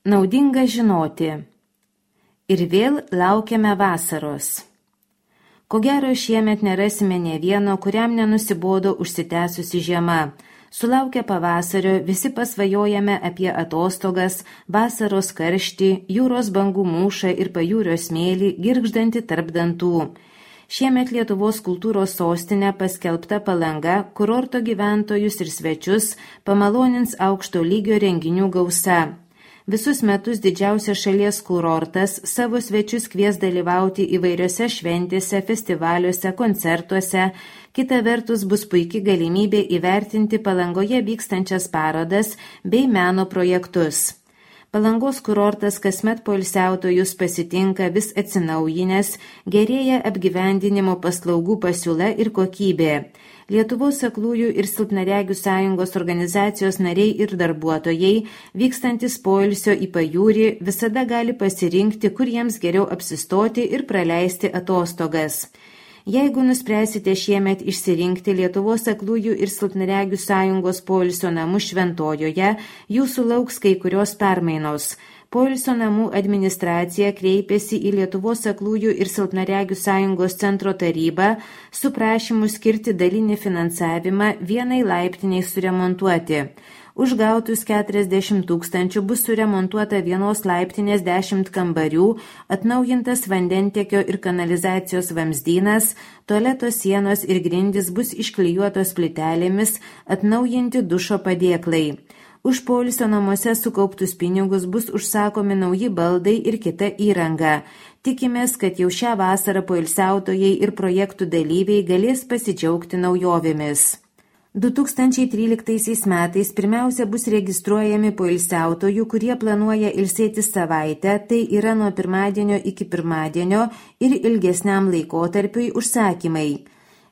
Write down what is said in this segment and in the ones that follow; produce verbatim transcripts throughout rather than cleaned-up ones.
Naudinga žinoti. Ir vėl laukiame vasaros. Ko gero šiemet nerasime ne vieno, kuriam nenusibodo užsitęsusi žiema. Sulaukę pavasario visi pasvajojame apie atostogas, vasaros karštį, jūros bangų mūšą ir pajūrio smėlį, girgždantį tarp dantų. Šiemet Lietuvos kultūros sostinė paskelbta Palanga kurorto gyventojus ir svečius pamalonins aukšto lygio renginių gausa. Visus metus didžiausias šalies kurortas savo svečius kvies dalyvauti įvairiose šventėse, festivaliuose, koncertuose. Kita vertus bus puikia galimybė įvertinti Palangoje vykstančias parodas bei meno projektus. Palangos kurortas kasmet poilsiautojus pasitinka vis atsinaujinęs, gerėja apgyvendinimo paslaugų pasiūla ir kokybė. Lietuvos aklųjų ir silpnaregių sąjungos organizacijos nariai ir darbuotojai, vykstantis poilsio į pajūrį, visada gali pasirinkti, kur jiems geriau apsistoti ir praleisti atostogas. Jeigu nuspręsite šiemet išsirinkti Lietuvos aklųjų ir silpnaregių sąjungos poilsio namų Šventojoje, jūsų lauks kai kurios permainos. Poilsio namų administracija kreipėsi į Lietuvos aklųjų ir silpnaregių sąjungos centro tarybą su prašymu skirti dalinį finansavimą vienai laiptiniai suremontuoti. Už gautus keturiasdešimt tūkstančių bus suremontuota vienos laiptinės dešimt kambarių, atnaujintas vandentiekio ir kanalizacijos vamzdynas, tualeto sienos ir grindys bus išklijuotos plytelėmis, atnaujinti dušo padėklai. Už poilsio namuose sukauptus pinigus bus užsakomi nauji baldai ir kita įranga. Tikimės, kad jau šią vasarą poilsiautojai ir projektų dalyviai galės pasidžiaugti naujovėmis. du tūkstančiai tryliktaisiais metais pirmiausia bus registruojami poilsiautojų, kurie planuoja ilsėtis savaitę, tai yra nuo pirmadienio iki pirmadienio ir ilgesniam laikotarpiui užsakymai.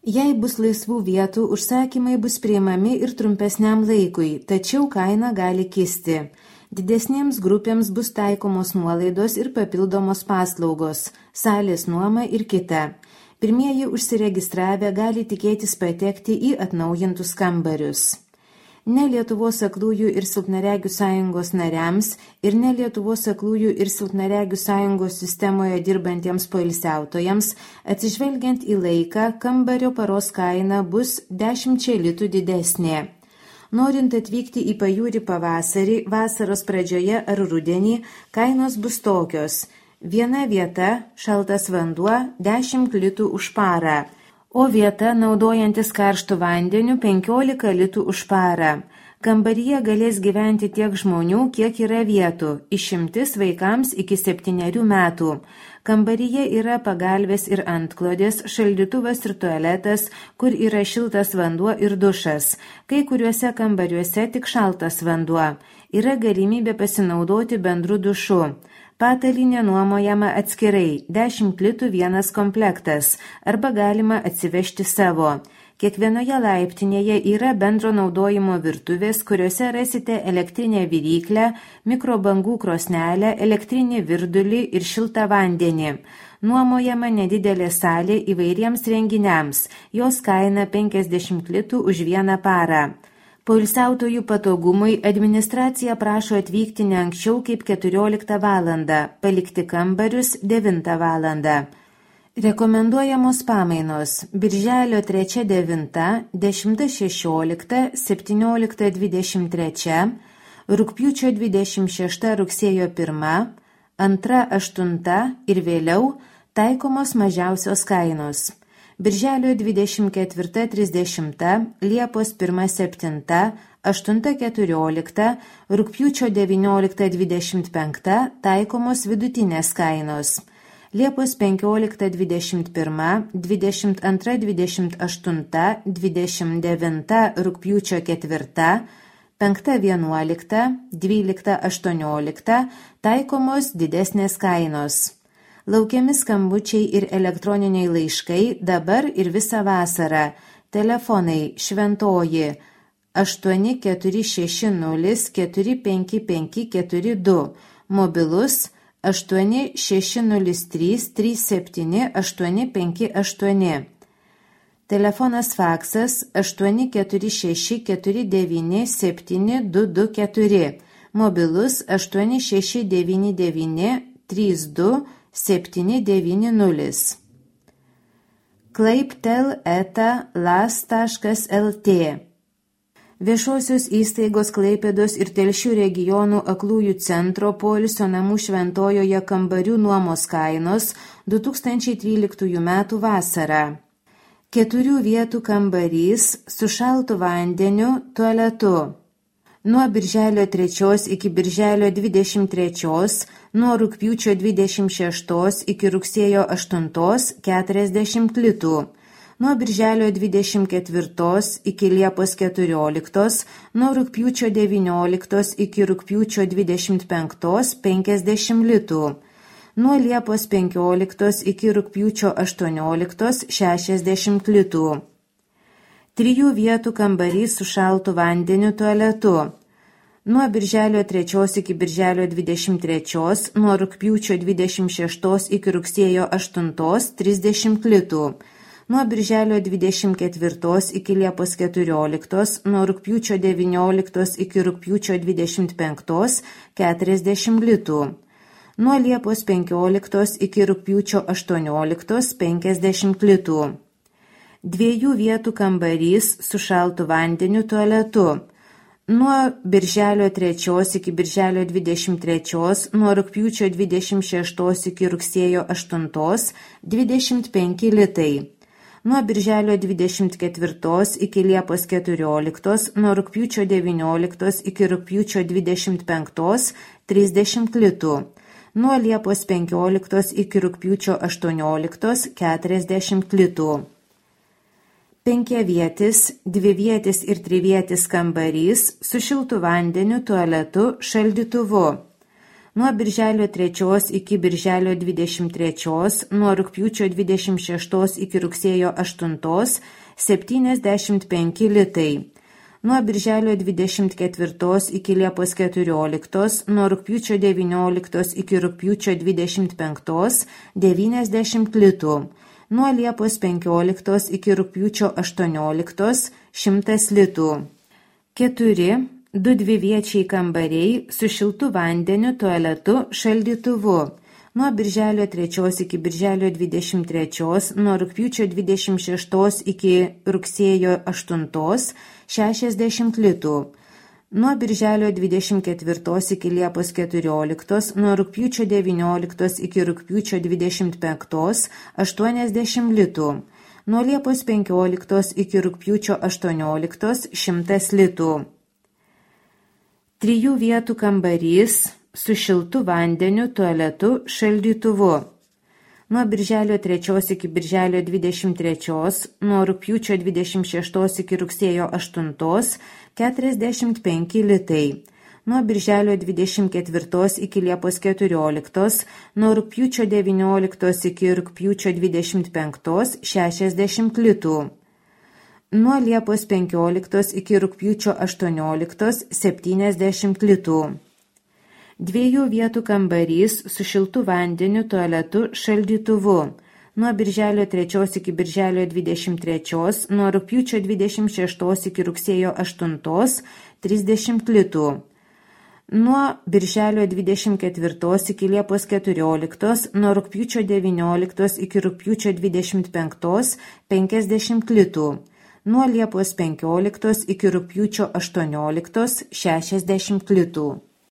Jei bus laisvų vietų, užsakymai bus priimami ir trumpesniam laikui, tačiau kaina gali kisti. Didesniems grupėms bus taikomos nuolaidos ir papildomos paslaugos, salės nuoma ir kita. Pirmieji užsiregistravę gali tikėtis patekti į atnaujintus kambarius. Ne Lietuvos aklųjų ir silpnaregių sąjungos nariams ir ne Lietuvos aklųjų ir silpnaregių sąjungos sistemoje dirbantiems poilsiautojams, atsižvelgiant į laiką, kambario paros kaina bus dešimčia litų didesnė. Norint atvykti į pajūrį pavasarį, vasaros pradžioje ar rudenį, kainos bus tokios. Viena vieta, šaltas vanduo, dešimt litų už parą, o vieta, naudojantis karštų vandeniu, penkiolika litų už parą. Kambaryje galės gyventi tiek žmonių, kiek yra vietų, išimtis vaikams iki septynerių metų. Kambaryje yra pagalvės ir antklodės, šaldytuvas ir tualetas, kur yra šiltas vanduo ir dušas. Kai kuriuose kambariuose tik šaltas vanduo. Yra galimybė pasinaudoti bendru dušu. Patalynė nuomojama atskirai, dešimt litų vienas komplektas, arba galima atsivežti savo. Kiekvienoje laiptinėje yra bendro naudojimo virtuvės, kuriuose rasite elektrinę viryklę, mikrobangų krosnelę, elektrinį virdulį ir šiltą vandenį. Nuomojama nedidelė salė įvairiems renginiams, jos kaina penkiasdešimt litų už vieną parą. Poilsiautojų patogumui administracija prašo atvykti ne anksčiau kaip keturioliktą valandą, palikti kambarius devintą valandą. Rekomenduojamos pamainos birželio trečia devinta, dešimta šešiolikta, septyniolikta dvidešimt trečia, rugpjūčio dvidešimt šešta rugsėjo pirma, antra aštunta ir vėliau taikomos mažiausios kainos. Birželio dvidešimt ketvirta trisdešimta, Liepos pirma septinta, aštunta keturiolikta, rugpjūčio devyniolikta dvidešimt penkta taikomos vidutinės kainos. Liepos penkiolikta dvidešimt pirma, dvidešimt antra dvidešimt aštunta, dvidešimt devinta rugpjūčio ketvirta, penkta vienuolikta, dvylikta aštuoniolikta taikomos didesnės kainos. Laukiami skambučiai ir elektroniniai laiškai dabar ir visą vasarą. Telefonai Šventoji aštuoni keturi šeši nulis keturi penki penki keturi du, mobilus aštuoni šeši nulis trys trys septyni aštuoni penki aštuoni. Telefonas faksas aštuoni keturi šeši keturi devyni septyni du du keturi. mobilus aštuoni šeši devyni devyni trys du septyni devyni nulis. klaiptel eta las taškas lt. Viešosios įstaigos Klaipėdos ir Telšių regionų aklųjų centro poilsio namų Šventojoje kambarių nuomos kainos du tūkstančiai tryliktųjų metų vasarą. Keturių vietų kambarys su šaltu vandeniu, tualetu. Nuo birželio trečios iki birželio dvidešimt trečios, nuo rugpjūčio dvidešimt šeštos iki rugsėjo aštuntos keturiasdešimt litų. Nuo birželio dvidešimt ketvirtos iki liepos keturioliktos, nuo rugpjūčio devynioliktos iki rugpjūčio dvidešimt penktos penkiasdešimt litų. Nuo liepos penkioliktos iki rugpjūčio aštuonioliktos šešiasdešimt litų. Trijų vietų kambarys su šaltu vandeniu, tualetu. Nuo birželio trečios iki birželio dvidešimt trečios, nuo rugpjūčio dvidešimt šeštos iki rugsėjo aštuntos trisdešimt litų. Nuo birželio dvidešimt ketvirtos iki liepos keturioliktos, nuo rugpjūčio devynioliktos iki rugpjūčio dvidešimt penktos keturiasdešimt litų. Nuo liepos penkioliktos iki rugpjūčio aštuonioliktos penkiasdešimt litų. Dviejų vietų kambarys su šaltu vandeniu, tualetu. Nuo birželio trečios iki birželio dvidešimt trečios, nuo rugpjūčio dvidešimt šeštos iki rugsėjo aštuntos dvidešimt penki litai. Nuo birželio dvidešimt ketvirtos iki liepos keturioliktos, nuo rugpjūčio devynioliktos iki rugpjūčio dvidešimt penktos trisdešimt litų. Nuo liepos penkioliktos iki rugpjūčio aštuonioliktos keturiasdešimt litų. Penkiavietis, dvivietis ir trivietis kambarys su šiltu vandeniu, tualetu, šaldytuvu. Nuo birželio trečios iki birželio dvidešimt trečios, nuo rugpjūčio dvidešimt šeštos iki rugsėjo aštuntos septyniasdešimt penki litai. Nuo birželio dvidešimt ketvirtos iki liepos keturioliktos, nuo rugpjūčio devynioliktos iki rugpjūčio dvidešimt penktos devyniasdešimt litų. Nuo liepos penkioliktos iki rugpjūčio aštuonioliktos šimtas litų. Keturi, du dviviečiai kambariai su šiltu vandeniu, tualetu, šaldytuvu. Nuo birželio trečios iki birželio dvidešimt trečios, nuo rugpjūčio dvidešimt šeštos iki rugsėjo aštuntos šešiasdešimt litų. Nuo birželio dvidešimt ketvirtos iki liepos keturioliktos, nuo rugpjūčio devynioliktos iki rugpjūčio dvidešimt penktos aštuoniasdešimt litų. Nuo liepos penkioliktos iki rugpjūčio aštuonioliktos šimtas litų. Trijų vietų kambarys su šiltu vandeniu, tualetu, šaldytuvu. Nuo birželio trečios iki birželio dvidešimt trečios, nuo rugpjūčio dvidešimt šeštos iki rugsėjo aštuntos keturiasdešimt penki litai. Nuo birželio dvidešimt ketvirtos iki liepos keturioliktos, nuo rugpjūčio devynioliktos iki rugpjūčio dvidešimt penktos šešiasdešimt litų. Nuo liepos penkioliktos iki rugpjūčio aštuonioliktos septyniasdešimt litų. Dviejų vietų kambarys su šiltu vandeniu, tualetu, šaldytuvu. Nuo birželio trečios iki birželio dvidešimt trečios, nuo rugpjūčio dvidešimt šeštos iki rugsėjo aštuntos trisdešimt litų. Nuo birželio dvidešimt ketvirtos iki liepos keturioliktos, nuo rugpjūčio devynioliktos iki rugpjūčio dvidešimt penktos penkiasdešimt litų. Nuo liepos penkioliktos iki rugpjūčio aštuonioliktos šešiasdešimt litų.